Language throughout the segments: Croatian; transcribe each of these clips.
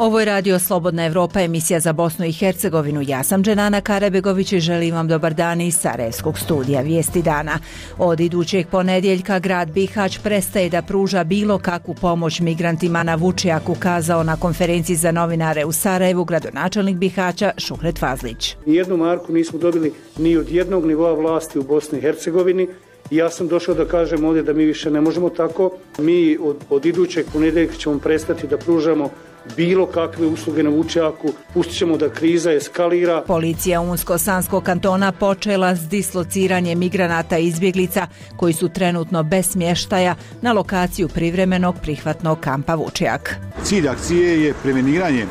Ovo je Radio Slobodna Evropa, emisija za Bosnu i Hercegovinu. Ja sam Dženana Karabegović i želim vam dobar dan iz Sarajevskog studija Vijesti dana. Od idućeg ponedjeljka grad Bihać prestaje da pruža bilo kakvu pomoć migrantima na Vučjaku, kazao na konferenciji za novinare u Sarajevu gradonačelnik Bihaća Šuhret Fazlić. Nijednu marku nismo dobili ni od jednog nivoa vlasti u Bosni i Hercegovini. Ja sam došao da kažem ovdje da mi više ne možemo tako. Mi od idućeg ponedjeljka ćemo prestati da pružamo bilo kakve usluge na Vučjaku, pustit ćemo da kriza eskalira. Policija Unsko-Sanskog kantona počela s dislociranjem migranata i izbjeglica koji su trenutno bez smještaja na lokaciju privremenog prihvatnog kampa Vučjak. Cilj akcije je preveniranje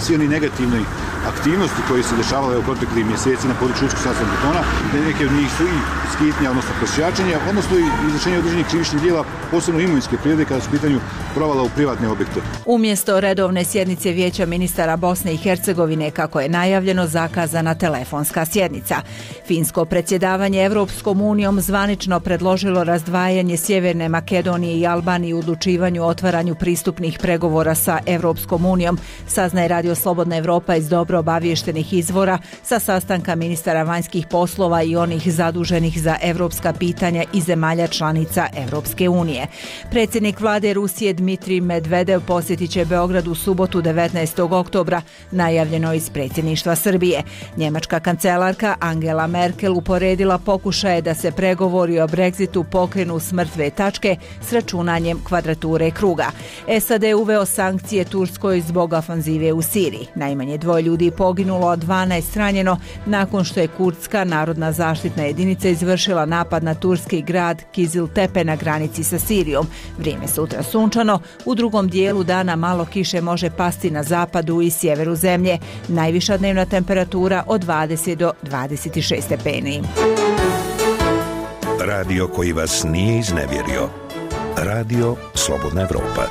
svi oni negativni aktivnosti koje se dešavale u proteklih mjeseci na području Unsko-Sanskog kantona. Neke od njih su i skitnja, odnosno prosjačenja, odnosno i izvršenje određenih krivičnih djela, posebno imovinske prirode kada su u pitanju provala u privatne objekte. Umjesto redovne sjednice Vijeća ministara Bosne i Hercegovine, kako je najavljeno, zakazana telefonska sjednica. Finsko predsjedavanje Evropskom unijom zvanično predložilo razdvajanje Sjeverne Makedonije i Albanije u odlučivanju o otvaranju pristupnih pregovora sa Evropskom unijom, saznaje Radio Slobodna Evropa iz dobro obaviještenih izvora sa sastanka ministara vanjskih poslova i onih zaduženih za evropska pitanja i zemalja članica Evropske unije. Predsjednik vlade Rusije Dmitrij Medvedev posjetit će Beograd u subotu 19. oktobra, najavljeno iz predsjedništva Srbije. Njemačka kancelarka Angela Merkel uporedila pokušaje da se pregovori o Brexitu pokrenu s mrtve tačke s računanjem kvadrature kruga. SAD je uveo sankcije Turskoj zbog ofanzive u Siriji. Najmanje 2 ljudi poginulo, a 12 ranjeno nakon što je kurdska narodna zaštitna jedinica izvršila napad na turski grad Kiziltepe na granici sa Sirijom. Vrijeme sutra sunčano, u drugom dijelu dana malo kiše može pasti na zapadu i sjeveru zemlje. Najviša dnevna temperatura od 20 do 26 stepeni. Radio koji vas nije iznevjerio. Radio Slobodna Evropa.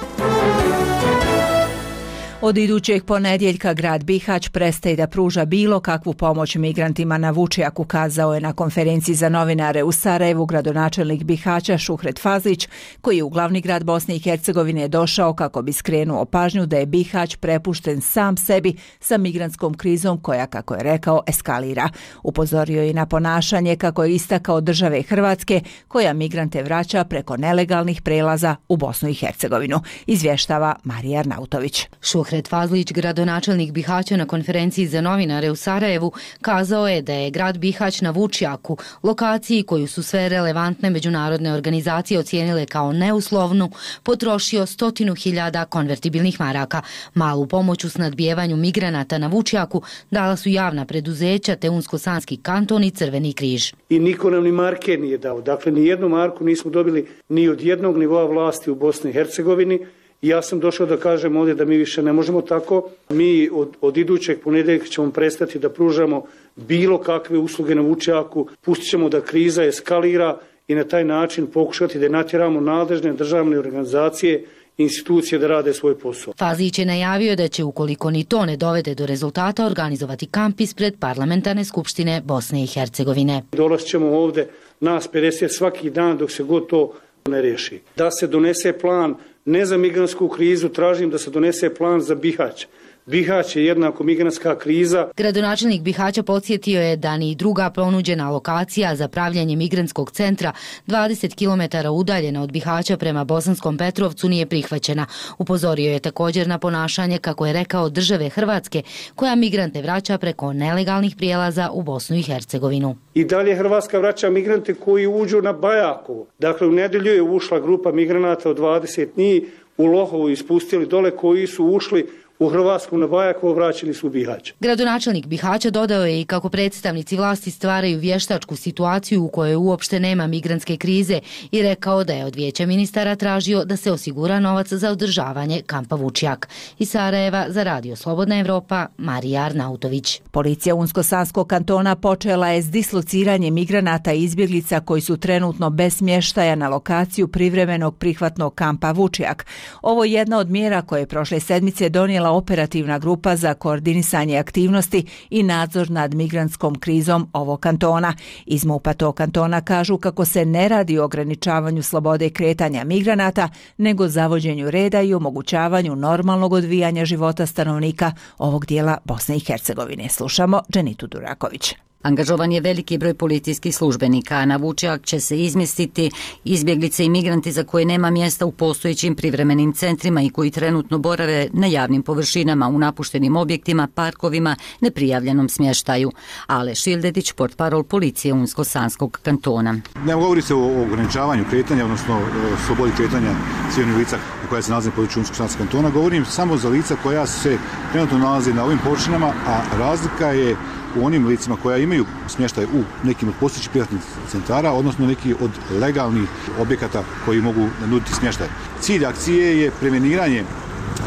Od idućeg ponedjeljka grad Bihać prestaje da pruža bilo kakvu pomoć migrantima na Vučjaku, kazao je na konferenciji za novinare u Sarajevu gradonačelnik Bihaća Šuhret Fazlić, koji je u glavni grad Bosne i Hercegovine došao kako bi skrenuo pažnju da je Bihać prepušten sam sebi sa migrantskom krizom koja, kako je rekao, eskalira. Upozorio je na ponašanje, kako je istakao, države Hrvatske, koja migrante vraća preko nelegalnih prelaza u Bosnu i Hercegovinu. Izvještava Marija Arnautović. Šuhret Fazlić, gradonačelnik Bihaća, na konferenciji za novinare u Sarajevu, kazao je da je grad Bihać na Vučjaku, lokaciji koju su sve relevantne međunarodne organizacije ocijenile kao neuslovnu, potrošio 100.000 konvertibilnih maraka. Malu pomoć u snadbijevanju migranata na Vučjaku dala su javna preduzeća te Unsko-Sanski kanton i Crveni križ. I niko nam ni marke nije dao. Dakle, ni jednu marku nismo dobili ni od jednog nivoa vlasti u Bosni i Hercegovini. Ja sam došao da kažem ovdje da mi više ne možemo tako. Mi od idućeg ponedjeljka ćemo prestati da pružamo bilo kakve usluge na Vučjaku, pustit ćemo da kriza eskalira i na taj način pokušati da natjeramo nadležne državne organizacije i institucije da rade svoj posao. Fazlić je najavio da će, ukoliko ni to ne dovede do rezultata, organizovati kamp ispred Parlamentarne skupštine Bosne i Hercegovine. Dolazit ćemo ovdje nas 50 svaki dan dok se god to ne riješi. Da se donese plan ne za migrantsku krizu, tražim da se donese plan za Bihać. Bihać je jednako migrantska kriza. Gradonačelnik Bihaća podsjetio je da ni druga ponuđena lokacija za pravljanje migrantskog centra 20 km udaljena od Bihaća prema Bosanskom Petrovcu nije prihvaćena. Upozorio je također na ponašanje, kako je rekao, države Hrvatske, koja migrante vraća preko nelegalnih prijelaza u Bosnu i Hercegovinu. I dalje Hrvatska vraća migrante koji uđu na Bajakovo. Dakle, u nedjelju je ušla grupa migranata od 20 njih, u Lohovu ispustili dole, koji su ušli u Hrvatsku na Bajakovo, vraćeni su u Bihać. Gradonačelnik Bihaća dodao je i kako predstavnici vlasti stvaraju vještačku situaciju u kojoj uopšte nema migrantske krize i rekao da je od Vijeća ministara tražio da se osigura novac za održavanje kampa Vučjak. Iz Sarajeva za Radio Slobodna Evropa, Marija Arnautović. Policija Unsko-Sanskog kantona počela je s dislociranjem migranata i izbjeglica koji su trenutno bez smještaja na lokaciju privremenog prihvatnog kampa Vučjak. Ovo je jedna od mjera koje je prošle sedmice donijela donijela operativna grupa za koordinisanje aktivnosti i nadzor nad migrantskom krizom ovog kantona. Iz MUP-a tog kantona kažu kako se ne radi o ograničavanju slobode kretanja migranata, nego zavođenju reda i omogućavanju normalnog odvijanja života stanovnika ovog dijela Bosne i Hercegovine. Slušamo Dženitu Duraković. Angažovan je veliki broj policijskih službenika, a na Vučjak će se izmjestiti izbjeglice i migranti za koje nema mjesta u postojećim privremenim centrima i koji trenutno borave na javnim površinama, u napuštenim objektima, parkovima, neprijavljenom smještaju. Ale Šildetić, portparol policije Unsko-Sanskog kantona. Ne govori se o ograničavanju kretanja, odnosno slobodi kretanja civilnih lica koja se nalaze na području Unsko-Sanskog kantona. Govorim samo za lica koja se trenutno nalaze na ovim površinama, a razlika je u onim licima koja imaju smještaj u nekim od postojećih privatnih centara, odnosno neki od legalnih objekata koji mogu nuditi smještaj. Cilj akcije je preveniranje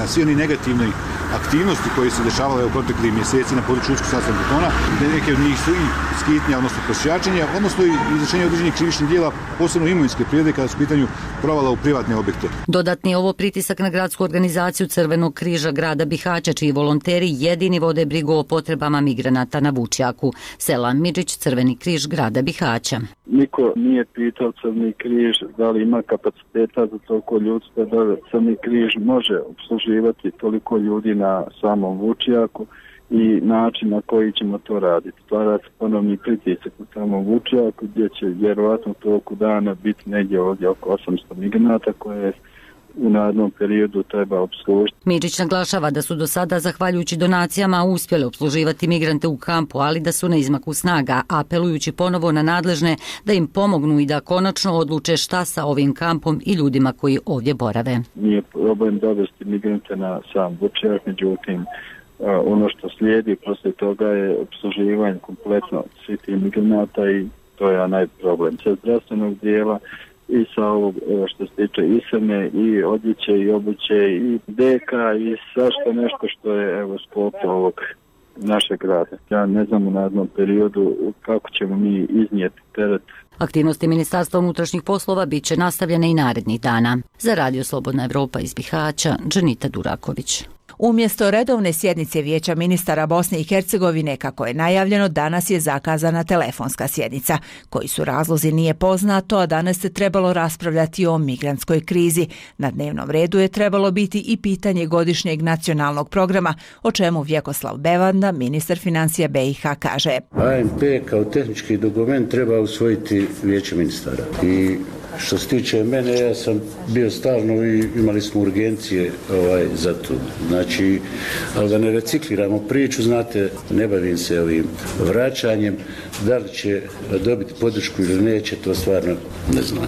svi oni negativni aktivnosti koje se dešavale u proteklih mjeseci na području Unsko-Sanskog kantona. Neke od njih su i skitnja, odnosno prosjačenja, odnosno i izvršenje određenih krivičnih djela, posebno imovinske prirode kada su u pitanju provala u privatne objekte. Dodatni je ovo pritisak na gradsku organizaciju Crvenog križa grada Bihaća, čiji volonteri jedini vode brigu o potrebama migranata na Vučjaku. Selam Midžić, Crveni križ grada Bihaća. Niko nije pitao Crveni križ da li ima kapaciteta za toliko ljudstva, da li Crveni križ može obsluživati toliko ljudi na samom Vučjaku i način na koji ćemo to raditi. Stvara se ponovni pritisak na samom Vučjaku gdje će vjerovatno toliko dana biti negdje ovdje oko 800 migranata koje u narednom periodu treba obslužiti. Midžić naglašava da su do sada, zahvaljujući donacijama, uspjeli obsluživati migrante u kampu, ali da su na izmaku snaga, apelujući ponovo na nadležne da im pomognu i da konačno odluče šta sa ovim kampom i ljudima koji ovdje borave. Nije problem dovesti migrante na sam Vučjak, međutim, ono što slijedi poslije toga je obsluživanje kompletno svih tih migranata i to je najproblem. Sa zdravstvenog dijela i sa ovog što se tiče ishrane i odjeće i obuće i deka i svašta nešto što je sklop ovog našeg grada. Ja ne znam u narednom periodu kako ćemo mi iznijeti teret. Aktivnosti Ministarstva unutrašnjih poslova bit će nastavljene i narednih dana. Za Radio Slobodna Evropa iz Bihaća, Dženita Duraković. Umjesto redovne sjednice Vijeća ministara Bosne i Hercegovine, kako je najavljeno, danas je zakazana telefonska sjednica. Koji su razlozi nije poznato, a danas se trebalo raspravljati o migrantskoj krizi. Na dnevnom redu je trebalo biti i pitanje godišnjeg nacionalnog programa, o čemu Vjekoslav Bevanda, ministar financija BiH, kaže. ANP kao tehnički dokument treba usvojiti Vijeće ministara. I što se tiče mene, ja sam bio stalno i imali smo urgencije za to. Znači, ali da ne recikliramo priču, znate, ne bavim se ovim vraćanjem. Da li će dobiti podršku ili neće, to stvarno ne znam.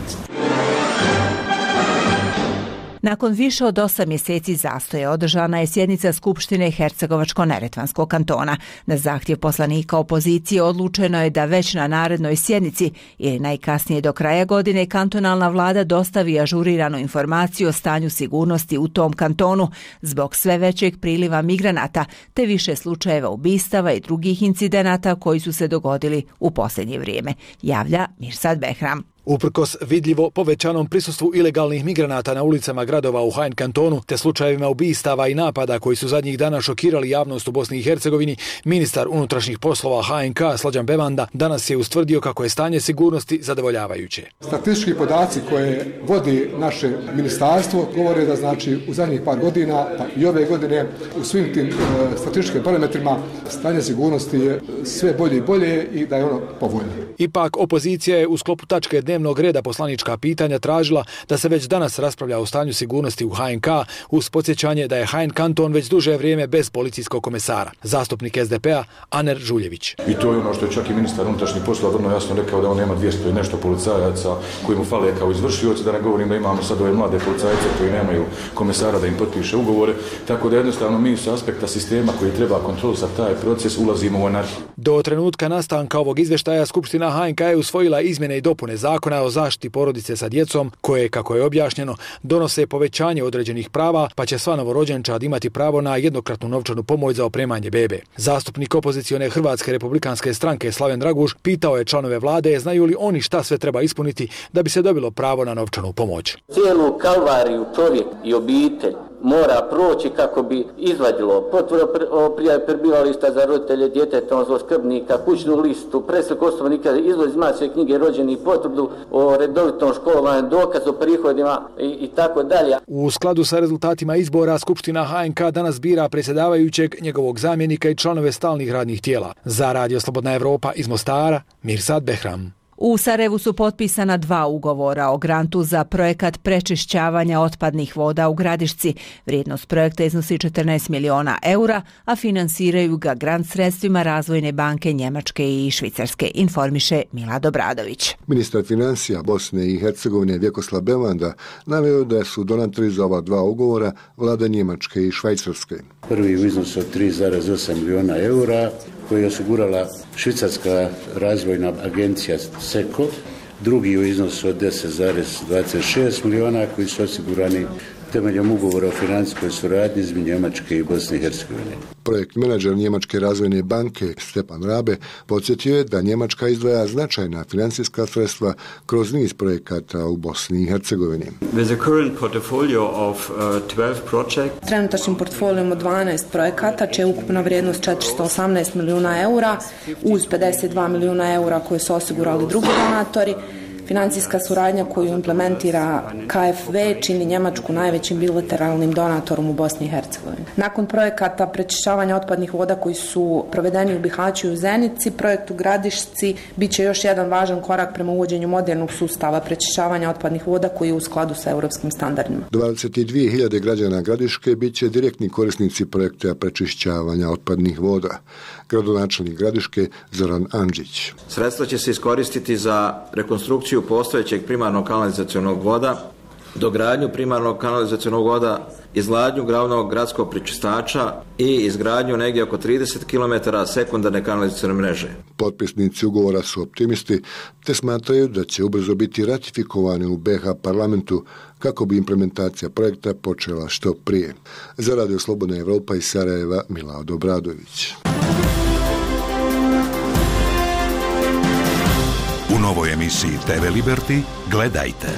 Nakon više od 8 mjeseci zastoja održana je sjednica Skupštine Hercegovačko-Neretvanskog kantona. Na zahtjev poslanika opozicije odlučeno je da već na narednoj sjednici ili najkasnije do kraja godine kantonalna vlada dostavi ažuriranu informaciju o stanju sigurnosti u tom kantonu zbog sve većeg priliva migranata te više slučajeva ubistava i drugih incidenata koji su se dogodili u posljednje vrijeme, javlja Mirsad Behram. Uprkos vidljivo povećanom prisustvu ilegalnih migranata na ulicama gradova u HN kantonu te slučajevima ubistava i napada koji su zadnjih dana šokirali javnost u Bosni i Hercegovini, ministar unutrašnjih poslova HNK Slađan Bevanda danas je ustvrdio kako je stanje sigurnosti zadovoljavajuće. Statistički podaci koje vodi naše ministarstvo govore da znači u zadnjih par godina pa i ove godine u svim tim statističkim parametrima stanje sigurnosti je sve bolje i bolje i da je ono povoljno. Ipak opozicija je u sklopu tačke dnevnog reda poslanička pitanja tražila da se već danas raspravlja o stanju sigurnosti u HNK uz podsjećanje da je HN kanton već duže vrijeme bez policijskog komesara. Zastupnik SDP-a Aner Žuljević. I to je ono što je čak i ministar unutrašnjih poslova vrlo jasno rekao da on nema 200 i nešto policajaca koji mu fale kao izvršioci, da ne govorim da imamo sad ove mlade policajce koji nemaju komesara da im potpiše ugovore, tako da jednostavno mi s aspekta sistema koji treba kontrolisati taj proces ulazimo u anarhiju. Do trenutka nastanka ovog izvještaja Skupština HNK je usvojila izmjene i dopune Zakona o zaštiti porodice sa djecom koje, kako je objašnjeno, donose povećanje određenih prava, pa će sva novorođenčad imati pravo na jednokratnu novčanu pomoć za opremanje bebe. Zastupnik opozicione Hrvatske republikanske stranke Slaven Draguš pitao je članove vlade znaju li oni šta sve treba ispuniti da bi se dobilo pravo na novčanu pomoć. Cijelu kalvariju čovjek i obitelj mora proći kako bi izvadilo potvrdu o prijavi prebivališta za roditelje djeteta, odnosno skrbnika, kućnu listu, preslike osobnog nikada, izvod iz matične knjige rođenih, potvrdu o redovitom školovanju, dokaz o prihodima i tako dalje. U skladu sa rezultatima izbora, Skupština HNK danas bira predsjedavajućeg, njegovog zamjenika i članove stalnih radnih tijela. Za Radio Slobodna Evropa iz Mostara, Mirsad Behram. U Sarajevu su potpisana 2 ugovora o grantu za projekat prečišćavanja otpadnih voda u Gradišci. Vrijednost projekta iznosi 14 miliona eura, a finansiraju ga grant sredstvima Razvojne banke Njemačke i Švicarske, informiše Milad Obradović. Ministar financija Bosne i Hercegovine Vjekoslav Bevanda naveo da su donatori za ova 2 ugovora vlada Njemačke i Švajcarske. Prvi u iznosu od 3,8 miliona eura koji je osigurala Švicarska razvojna agencija SECO, drugi u iznosu od 10,26 miliona koji su osigurani temeljem ugovora o financijskoj suradnji između Njemačke i Bosne i Hercegovine. Projekt menadžer Njemačke razvojne banke Stepan Rabe podsjetio je da Njemačka izdvaja značajna financijska sredstva kroz niz projekata u Bosni i Hercegovini. Trenutačnim portfolijom od 12 projekata čija je ukupna vrijednost 418 milijuna eura uz 52 milijuna eura koje su osigurali drugi donatori. Financijska suradnja koju implementira KfW čini Njemačku najvećim bilateralnim donatorom u Bosni i Hercegovini. Nakon projekata prečišćavanja otpadnih voda koji su provedeni u Bihaću i u Zenici, projekt u Gradišci bit će još jedan važan korak prema uvođenju modernog sustava prečišćavanja otpadnih voda koji je u skladu sa europskim standardima. 22.000 građana Gradiške bit će direktni korisnici projekta prečišćavanja otpadnih voda. Gradonačelnik Gradiške Zoran Andžić. Sredstva će se iskoristiti za rekonstrukciju postojećeg primarnog kanalizacionog voda, dogradnju primarnog kanalizacionog voda, izgradnju glavnog gradskog prečistača i izgradnju negdje oko 30 km sekundarne kanalizacione mreže. Potpisnici ugovora su optimisti te smatraju da će ubrzo biti ratifikovani u BiH parlamentu kako bi implementacija projekta počela što prije. Za Radio Slobodna Evropa iz Sarajeva, Milad Obradović. U novoj emisiji TV Liberty gledajte.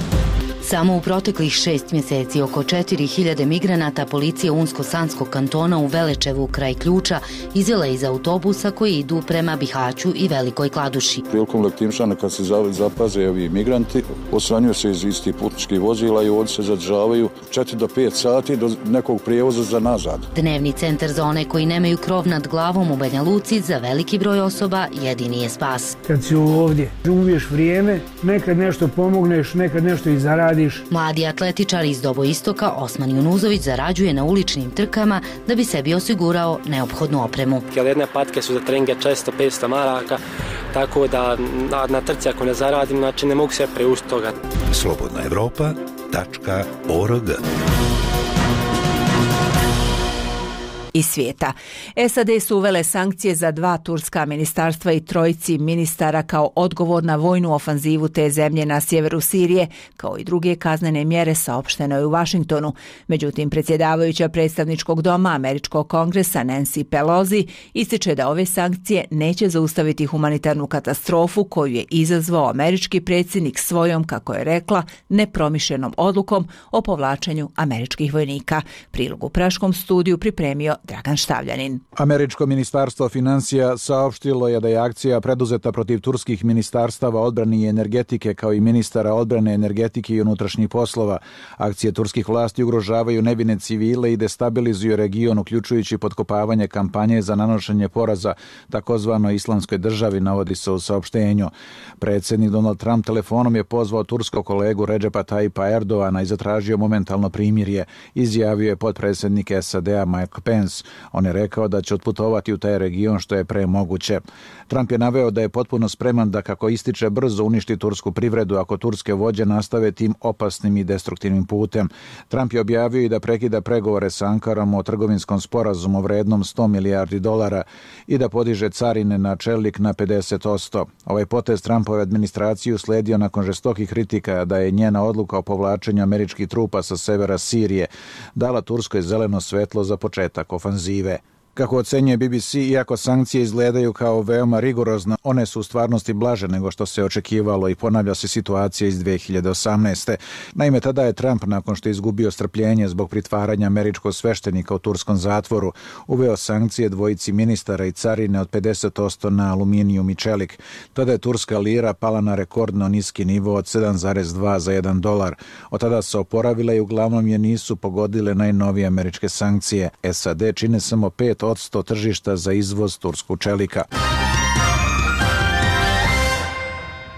Samo u proteklih 6 mjeseci oko 4000 migranata policija Unsko-Sanskog kantona u Velečevu kraj Ključa izvela iz autobusa koji idu prema Bihaću i Velikoj Kladuši. Prilikom letimšana kad se zapaze ovi migranti, osvanjuju se iz istih putničkih vozila i ovdje se zadržavaju 4 do 5 sati do nekog prijevoza za nazad. Dnevni centar za one koji nemaju krov nad glavom u Banja Luci za veliki broj osoba jedini je spas. Kad si ovdje, ubiješ vrijeme, nekad nešto pomogneš, nekad nešto i zaradiš. Mladi atletičar iz Doboistoka Osman Junuzović zarađuje na uličnim trkama da bi sebi osigurao neophodnu opremu. Jedne patke su za treninge često 500 maraka, tako da na trci ako ne zaradim, znači ne mogu se priuštiti toga. slobodnaevropa.org iz svijeta. SAD su uvele sankcije za 2 turska ministarstva i 3 ministara kao odgovor na vojnu ofanzivu te zemlje na sjeveru Sirije, kao i druge kaznene mjere, saopšteno je u Vašingtonu. Međutim, predsjedavajuća predstavničkog doma američkog kongresa Nancy Pelosi ističe da ove sankcije neće zaustaviti humanitarnu katastrofu koju je izazvao američki predsjednik svojom, kako je rekla, nepromišljenom odlukom o povlačenju američkih vojnika. Prilog u Praškom studiju pripremio Dragan Štavljanin. Američko ministarstvo financija saopštilo je da je akcija preduzeta protiv turskih ministarstava odbrane i energetike kao i ministara odbrane, energetike i unutrašnjih poslova. Akcije turskih vlasti ugrožavaju nevine civile i destabilizuju region, uključujući potkopavanje kampanje za nanošenje poraza takozvanoj islamskoj državi, navodi se u saopštenju. Predsjednik Donald Trump telefonom je pozvao turskog kolegu Redžepa Tayyipa Erdogana i zatražio momentalno primirje, izjavio je potpredsjednik SAD-a Mike Pence. On je rekao da će otputovati u taj region što je pre moguće. Trump je naveo da je potpuno spreman da, kako ističe, brzo uništi tursku privredu ako turske vođe nastave tim opasnim i destruktivnim putem. Trump je objavio i da prekida pregovore sa Ankarom o trgovinskom sporazumu vrednom $100 milijardi i da podiže carine na čelik na 50%. Ovaj potez Trumpove administraciju sledio nakon žestokih kritika da je njena odluka o povlačenju američkih trupa sa severa Sirije dala Turskoj zeleno svetlo za početak ofanzive. Kako ocenjuje BBC, iako sankcije izgledaju kao veoma rigorozno, one su u stvarnosti blaže nego što se očekivalo i ponavlja se situacija iz 2018. Naime, tada je Trump, nakon što je izgubio strpljenje zbog pritvaranja američkog sveštenika u turskom zatvoru, uveo sankcije dvojici ministara i carine od 50% na aluminijum i čelik. Tada je turska lira pala na rekordno niski nivo od 7,2 za $1. Od tada se oporavila i uglavnom je nisu pogodile najnovije američke sankcije. SAD čine samo 5% tržišta za izvoz turskog čelika.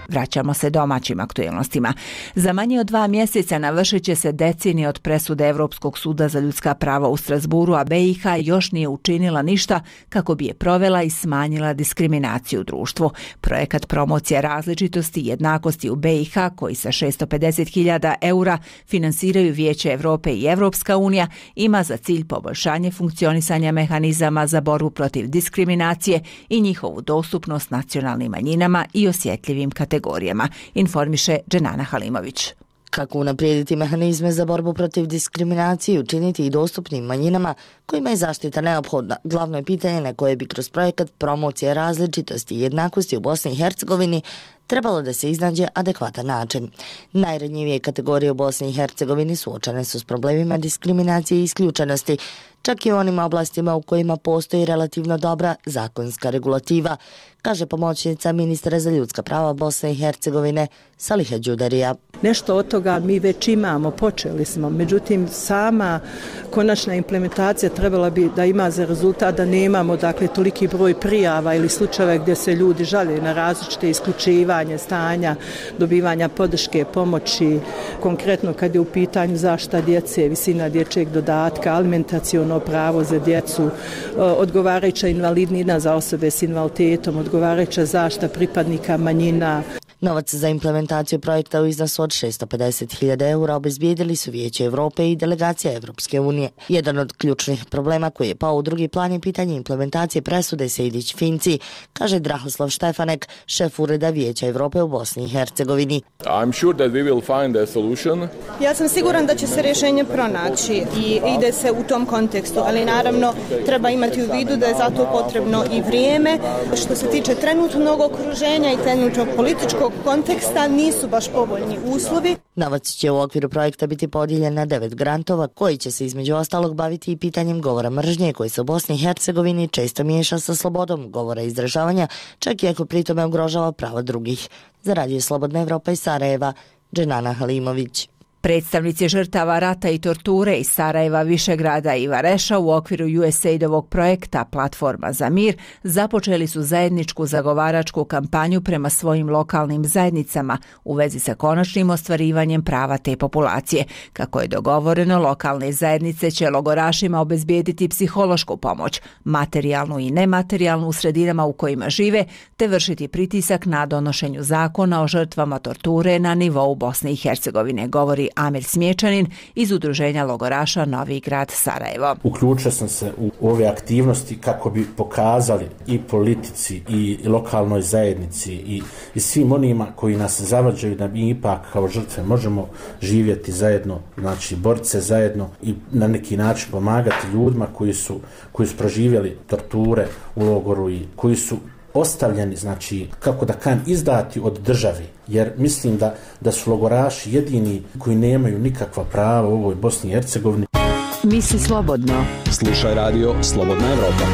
Vraćamo se domaćim aktuelnostima. Za manje od 2 mjeseca navršit će se decenije od presude Evropskog suda za ljudska prava u Strasburu, a BiH još nije učinila ništa kako bi je provela i smanjila diskriminaciju u društvu. Projekat promocije različitosti i jednakosti u BiH, koji sa 650.000 eura finansiraju Vijeće Europe i Evropska unija, ima za cilj poboljšanje funkcionisanja mehanizama za borbu protiv diskriminacije i njihovu dostupnost nacionalnim manjinama i osjetljivim kategorijama, informiše Dženana Halimović. Kako unaprijediti mehanizme za borbu protiv diskriminacije i učiniti i dostupnim manjinama kojima je zaštita neophodna, glavno je pitanje na koje bi kroz projekat promocije različitosti i jednakosti u Bosni i Hercegovini trebalo da se iznađe adekvatan način. Najranjivije kategorije u Bosni i Hercegovini suočene su s problemima diskriminacije i isključenosti, čak i u onim oblastima u kojima postoji relativno dobra zakonska regulativa, kaže pomoćnica ministra za ljudska prava Bosne i Hercegovine Saliha Đudarija. Nešto od toga mi već imamo, počeli smo, međutim sama konačna implementacija trebala bi da ima za rezultat da nemamo toliki broj prijava ili slučajeva gdje se ljudi žale na različite isključivanje stanja, dobivanja podrške, pomoći, konkretno kad je u pitanju zaštita djece, visina dječjeg dodatka, alimentaciono pravo za djecu, odgovarajuća invalidnina za osobe s invaliditetom, odgovarajuća zaštita pripadnika manjina. Novac za implementaciju projekta u iznosu od 650.000 eura obezbijedili su Vijeće Europe i delegacija Evropske unije. Jedan od ključnih problema koji je pao u drugi plan je pitanje implementacije presude Sejdić-Finci, kaže Drahoslav Štefanek, šef ureda Vijeća Europe u Bosni i Hercegovini. Ja sam siguran da će se rješenje pronaći i ide se u tom kontekstu, ali naravno treba imati u vidu da je za to potrebno i vrijeme. Što se tiče trenutnog okruženja i trenutnog političkog konteksta, nisu baš povoljni uslovi. Novac će u okviru projekta biti podijeljen na 9 grantova koji će se između ostalog baviti i pitanjem govora mržnje koji se u Bosni i Hercegovini često miješa sa slobodom govora i izražavanja, čak i ako pritome ugrožava prava drugih. Za Radio Slobodna Evropa iz Sarajeva, Dženana Halimović. Predstavnici žrtava rata i torture iz Sarajeva, Višegrada i Vareša u okviru USAID-ovog projekta Platforma za mir započeli su zajedničku zagovaračku kampanju prema svojim lokalnim zajednicama u vezi sa konačnim ostvarivanjem prava te populacije. Kako je dogovoreno, lokalne zajednice će logorašima obezbijediti psihološku pomoć, materijalnu i nematerijalnu u sredinama u kojima žive, te vršiti pritisak na donošenju zakona o žrtvama torture na nivou Bosne i Hercegovine, govori Amir Smječanin iz udruženja logoraša Novi grad Sarajevo. Uključio sam se u ove aktivnosti kako bi pokazali i politici i lokalnoj zajednici i svim onima koji nas zavađaju da mi ipak kao žrtve možemo živjeti zajedno, znači boriti se zajedno i na neki način pomagati ljudima koji su proživjeli torture u logoru i koji su ostavljeni, znači, kako da kažem, izdati od države, jer mislim da su logoraši jedini koji nemaju nikakva prava u ovoj Bosni i Hercegovini. Misli slobodno. Slušaj radio Slobodna Evropa.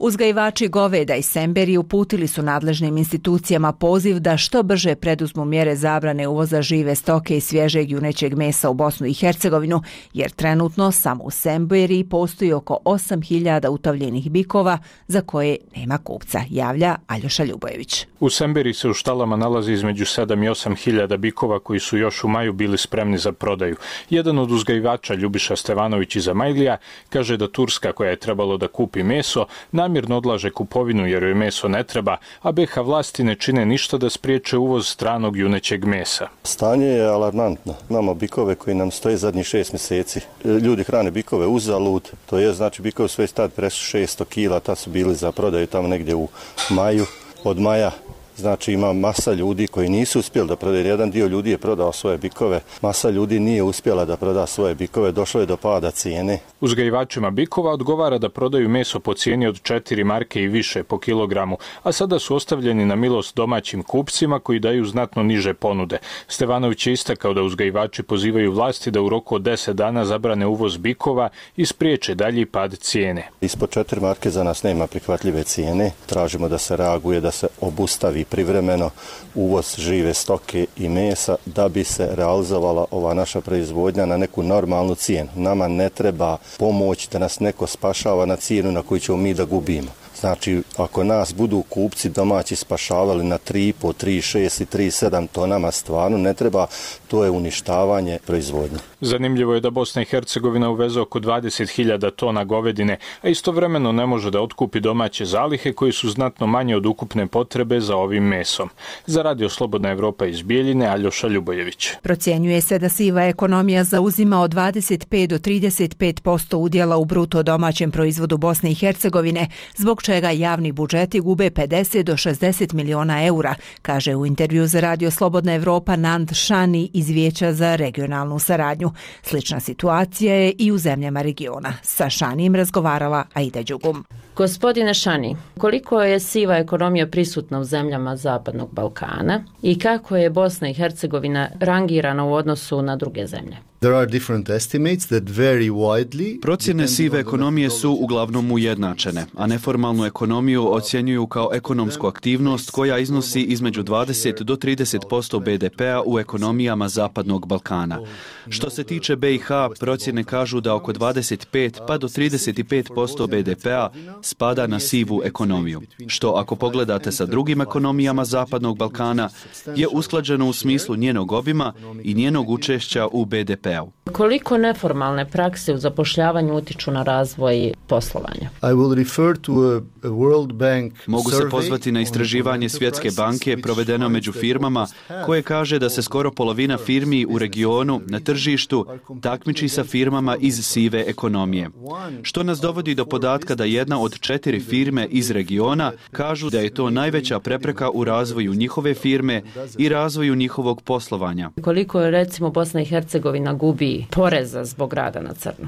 Uzgajivači goveda i semberi uputili su nadležnim institucijama poziv da što brže preduzmu mjere zabrane uvoza žive stoke i svježeg junećeg mesa u Bosnu i Hercegovinu, jer trenutno samo u Semberiji postoji oko 8.000 utovljenih bikova za koje nema kupca, javlja Aljoša Ljubojević. U Semberiji se u štalama nalazi između 7 i 8.000 bikova koji su još u maju bili spremni za prodaju. Jedan od uzgajivača, Ljubiša Stevanović iz Amajlija, kaže da Turska, koja je trebalo da kupi meso, namjerno odlaže kupovinu jer joj meso ne treba, a BiH vlasti ne čine ništa da spriječe uvoz stranog junećeg mesa. Stanje je alarmantno. Imamo bikove koji nam stoje zadnjih 6 mjeseci. Ljudi hrane bikove uzalud, to je znači bikovi svoj stad presu 600 kila, ta su bili za prodaju tamo negdje u maju. Od maja Znači ima masa ljudi koji nisu uspjeli da prodaju. Jedan dio ljudi je prodao svoje bikove, masa ljudi nije uspjela da proda svoje bikove, došlo je do pada cijene. Uzgajivačima bikova odgovara da prodaju meso po cijeni od 4 marke i više po kilogramu, a sada su ostavljeni na milost domaćim kupcima koji daju znatno niže ponude. Stevanović je istakao da uzgajivači pozivaju vlasti da u roku od 10 dana zabrane uvoz bikova i spriječe dalji pad cijene. Ispod 4 marke za nas nema prihvatljive cijene. Tražimo da se reaguje, da se obustavi privremeno uvoz žive stoke i mesa da bi se realizovala ova naša proizvodnja na neku normalnu cijenu. Nama ne treba pomoć da nas neko spašava na cijenu na koju ćemo mi da gubimo. Znači, ako nas budu kupci domaći spašavali na 3,5, 3,6 i 3,7, to nama stvarno ne treba, to je uništavanje proizvodnje. Zanimljivo je da Bosna i Hercegovina uveze oko 20.000 tona govedine, a istovremeno ne može da otkupi domaće zalihe koji su znatno manje od ukupne potrebe za ovim mesom. Za Radio Slobodna Evropa iz Bijeljine, Aljoša Ljubojević. Procjenjuje se da siva ekonomija zauzima od 25 do 35% udjela u bruto domaćem proizvodu Bosne i Hercegovine, zbog čega javni budžeti gube 50 do 60 miliona eura, kaže u intervju za Radio Slobodna Evropa Nand Šani iz Vijeća za regionalnu saradnju. Slična situacija je i u zemljama regiona. Sa Šanijem razgovarala Aida Đugum. Gospodine Šani, koliko je siva ekonomija prisutna u zemljama Zapadnog Balkana i kako je Bosna i Hercegovina rangirana u odnosu na druge zemlje? Procjene sive ekonomije su uglavnom ujednačene, a neformalnu ekonomiju ocjenjuju kao ekonomsku aktivnost koja iznosi između 20 do 30% BDP-a u ekonomijama Zapadnog Balkana. Što se tiče BiH, procjene kažu da oko 25 pa do 35% BDP-a spada na sivu ekonomiju, što ako pogledate sa drugim ekonomijama Zapadnog Balkana je usklađeno u smislu njenog obima i njenog učešća u BDP-u. Koliko neformalne prakse u zapošljavanju utiču na razvoj poslovanja? Mogu se pozvati na istraživanje Svjetske banke provedeno među firmama koje kaže da se skoro polovina firmi u regionu na tržištu takmiči sa firmama iz sive ekonomije. Što nas dovodi do podatka da jedna od 4 firme iz regiona kažu da je to najveća prepreka u razvoju njihove firme i razvoju njihovog poslovanja. Koliko je recimo Bosna i Hercegovina gubi poreza zbog rada na crno?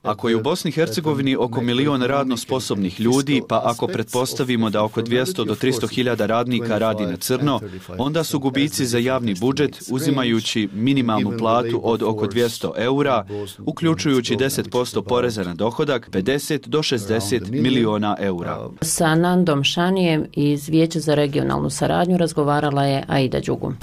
Ako je u Bosni i Hercegovini oko 1 milion radno sposobnih ljudi, pa ako pretpostavimo da oko 200 do 300 hiljada radnika radi na crno, onda su gubici za javni budžet, uzimajući minimalnu platu od oko 200 eura, uključujući 10% poreza na dohodak, 50 do 60 miliona eura. Sa Nandom Šanijem iz Vijeća za regionalnu saradnju razgovarala je Aida Đugum.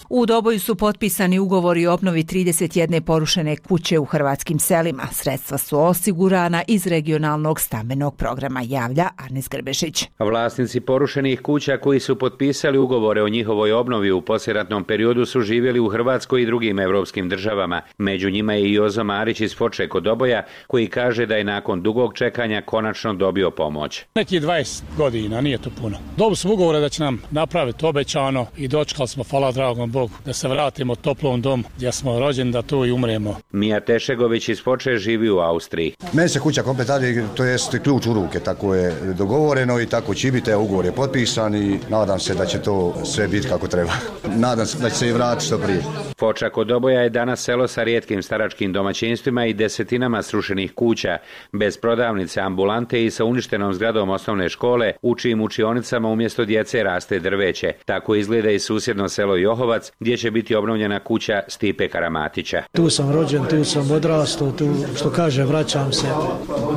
U Doboju su potpisani ugovori o obnovi 31 porušene kuće u hrvatskim selima. Sredstva su osigurana iz regionalnog stambenog programa, javlja Arnis Grbešić. Vlasnici porušenih kuća koji su potpisali ugovore o njihovoj obnovi u poslijeratnom periodu su živjeli u Hrvatskoj i drugim evropskim državama. Među njima je i Jozo Marić iz Foče kod Doboja, koji kaže da je nakon dugog čekanja konačno dobio pomoć. Neki 20 godina, nije to puno. Dobili smo ugovore da će nam napraviti obećano i dočekali smo, hvala dragom Bogu, da se vratimo toplom dom gdje smo rođeni, da tu i umremo. Mija Tešegović iz Foče živi u Austriji. Meni se kuća komplet radi, to jest ključ u ruke, tako je dogovoreno i tako će biti, ugovor je potpisan i nadam se da će to sve biti kako treba. Nadam se da će se i vratiti što prije. Foča kod Doboja je danas selo sa rijetkim staračkim domaćinstvima i desetinama srušenih kuća, bez prodavnice, ambulante i sa uništenom zgradom osnovne škole, u čijim učionicama umjesto djece raste drveće. Tako izgleda i susjedno selo Johovac, gdje će biti obnovljena kuća Stipe Karamatića. Tu sam rođen, tu sam odrastao, tu što kaže vraćam se,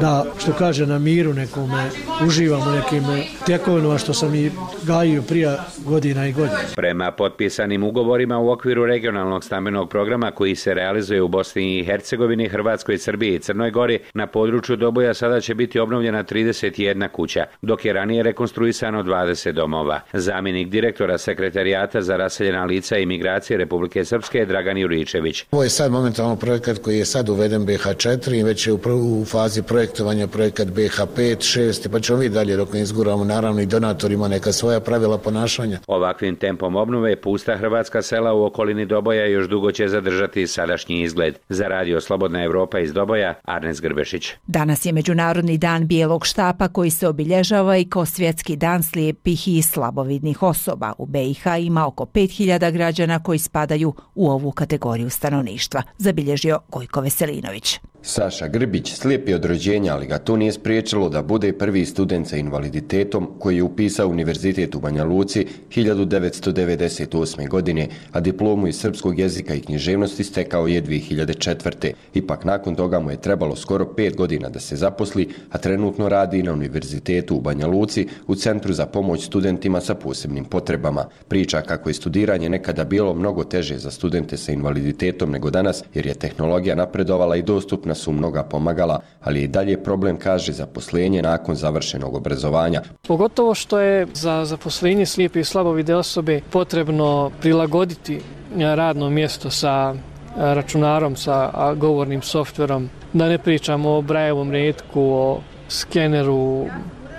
da što kaže na miru nekome, uživam u nekim tjekovinama što sam i gajio prije godina i godina. Prema potpisanim ugovorima u okviru regionalnog stambenog programa koji se realizuje u Bosni i Hercegovini, Hrvatskoj, Srbiji i Crnoj Gori, na području Doboja sada će biti obnovljena 31 kuća, dok je ranije rekonstruisano 20 domova. Zamjenik direktora Sekretarijata za raseljena lica i migracije Republike Srpske Dragan Juričević. Ovo je sad momentalno projekat koji je sad uveden BH4 i već je u fazi projektovanja projekat BH5, 6, pa ćemo vidjeti dalje dok ne izguramo, naravno i donatorima neka svoja pravila ponašanja. Ovakvim tempom obnove pusta hrvatska sela u okolini Doboja još dugo će zadržati sadašnji izgled. Za radio Slobodna Evropa iz Doboja, Arnes Grbešić. Danas je Međunarodni dan bijelog štapa koji se obilježava i kao svjetski dan slijepih i slabovidnih osoba. U BiH ima oko 5000 građana koji spadaju u ovu kategoriju stanovništva, zabilježio Gojko Veselinović. Saša Grbić slijep je od rođenja, ali ga to nije spriječilo da bude prvi student sa invaliditetom koji je upisao univerzitet u Banja Luci 1998. godine, a diplomu iz srpskog jezika i književnosti stekao je 2004. Ipak nakon toga mu je trebalo skoro 5 godina da se zaposli, a trenutno radi na univerzitetu u Banja Luci u Centru za pomoć studentima sa posebnim potrebama. Priča kako je studiranje nekada bilo mnogo teže za studente sa invaliditetom nego danas, jer je tehnologija napredovala i dostupna su mnoga pomagala, ali je i dalje problem, kaže, zaposlenje nakon završenog obrazovanja. Pogotovo što je za zaposlenje slijepe i slabovide osobe potrebno prilagoditi radno mjesto sa računarom, sa govornim softverom, da ne pričamo o Brailleovom retku, o skeneru,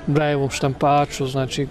Brailleovom štampaču, znači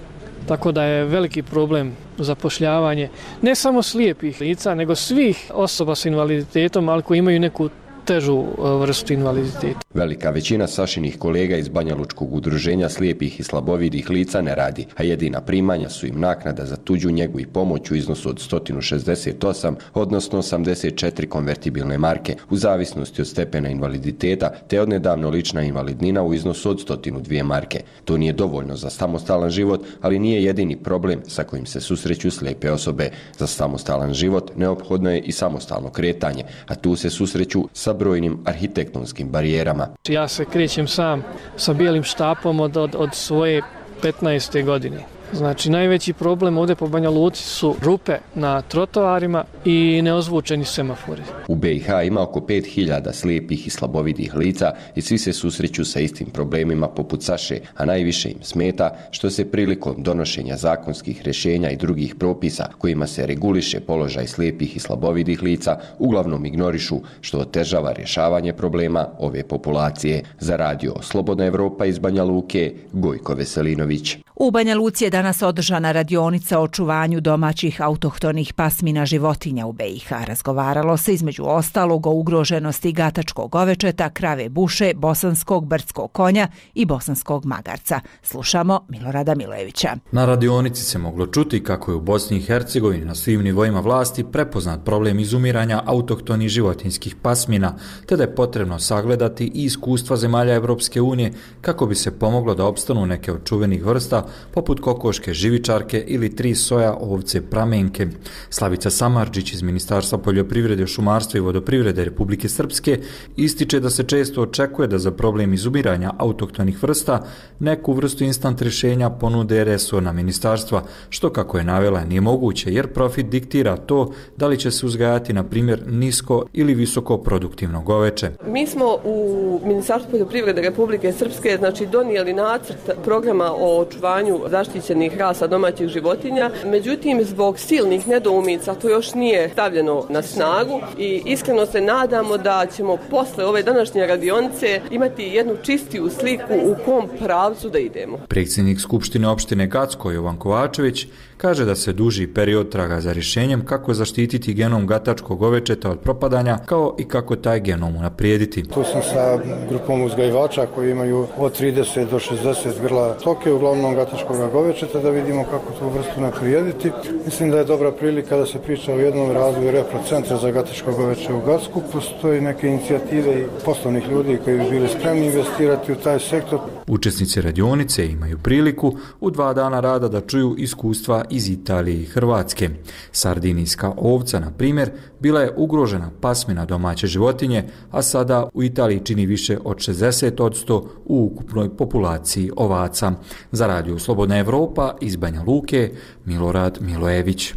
tako da je veliki problem zapošljavanje ne samo slijepih lica, nego svih osoba s invaliditetom, ali koji imaju neku težu vrstu invaliditeta. Velika većina Sašinih kolega iz Banja Lučkog udruženja slijepih i slabovidih lica ne radi, a jedina primanja su im naknada za tuđu njegu i pomoć u iznosu od 168, odnosno 84 konvertibilne marke, u zavisnosti od stepena invaliditeta, te odnedavno lična invalidnina u iznosu od 102 marke. To nije dovoljno za samostalan život, ali nije jedini problem sa kojim se susreću slijepe osobe. Za samostalan život neophodno je i samostalno kretanje, a tu se susreću sa brojnim arhitektonskim barijerama. Ja se krećem sam sa bijelim štapom od svoje 15. godine. Znači, najveći problem ovdje po Banja Luci su rupe na trotoarima i neozvučeni semafori. U BiH ima oko 5000 slijepih i slabovidih lica i svi se susreću sa istim problemima poput Saše, a najviše im smeta što se prilikom donošenja zakonskih rješenja i drugih propisa kojima se reguliše položaj slijepih i slabovidih lica uglavnom ignorišu, što otežava rješavanje problema ove populacije. Za radio Slobodna Evropa iz Banja Luke, Gojko Veselinović. U Banja Luci je danas održana radionica o očuvanju domaćih autohtonih pasmina životinja u BiH. Razgovaralo se između ostalog o ugroženosti gatačkog ovečeta, krave buše, bosanskog brdskog konja i bosanskog magarca. Slušamo Milorada Milojevića. Na radionici se moglo čuti kako je u Bosni i Hercegovini na svim nivoima vlasti prepoznat problem izumiranja autohtonih životinjskih pasmina, te da je potrebno sagledati i iskustva zemalja Evropske unije kako bi se pomoglo da opstanu neke od čuvenih vrsta poput kokoške živičarke ili 3 soja ovce pramenke. Slavica Samardžić iz Ministarstva poljoprivrede, šumarstva i vodoprivrede Republike Srpske ističe da se često očekuje da za problem izumiranja autohtonih vrsta neku vrstu instant rješenja ponude resorna ministarstva, što kako je navela nije moguće jer profit diktira to da li će se uzgajati na primjer nisko ili visoko produktivno goveče. Mi smo u Ministarstvu poljoprivrede Republike Srpske donijeli nacrt programa o očuvanju zaštićenih rasa domaćih životinja, međutim zbog silnih nedoumica to još nije stavljeno na snagu i iskreno se nadamo da ćemo posle ove današnje radionice imati jednu čistiju sliku u kom pravcu da idemo. Predsjednik Skupštine opštine Gacko Jovan Kovačević kaže da se duži period traga za rješenjem kako zaštititi genom gatačkog ovečeta od propadanja, kao i kako taj genom unaprijediti. Tu sam sa grupom uzgajivača koji imaju od 30 do 60 grla stoke, uglavnom gatačkog govečeta, da vidimo kako tu vrstu unaprijediti. Mislim da je dobra prilika da se priča o jednom razvoju reprocentra za gatačko goveče u Gacku. Postoji neke inicijative i poslovnih ljudi koji bi bili spremni investirati u taj sektor. Učesnici radionice imaju priliku u 2 dana rada da čuju iskustva iz Italije i Hrvatske. Sardinijska ovca, na primjer, bila je ugrožena pasmina domaće životinje, a sada u Italiji čini više od 60% u ukupnoj populaciji ovaca. Za radio Slobodna Evropa iz Banja Luke, Milorad Milojević.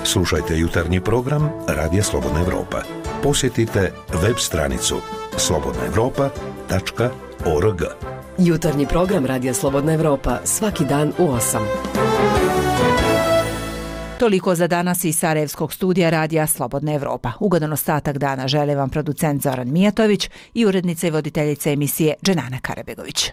Slušajte jutarnji program Radija Slobodna Evropa. Posjetite web stranicu slobodnaevropa.org. Jutarnji program Radija Slobodna Evropa svaki dan u 8. Toliko za danas iz Sarajevskog studija Radija Slobodna Evropa. Ugodan ostatak dana žele vam producent Zoran Mijatović i urednica i voditeljica emisije Dženana Karabegović.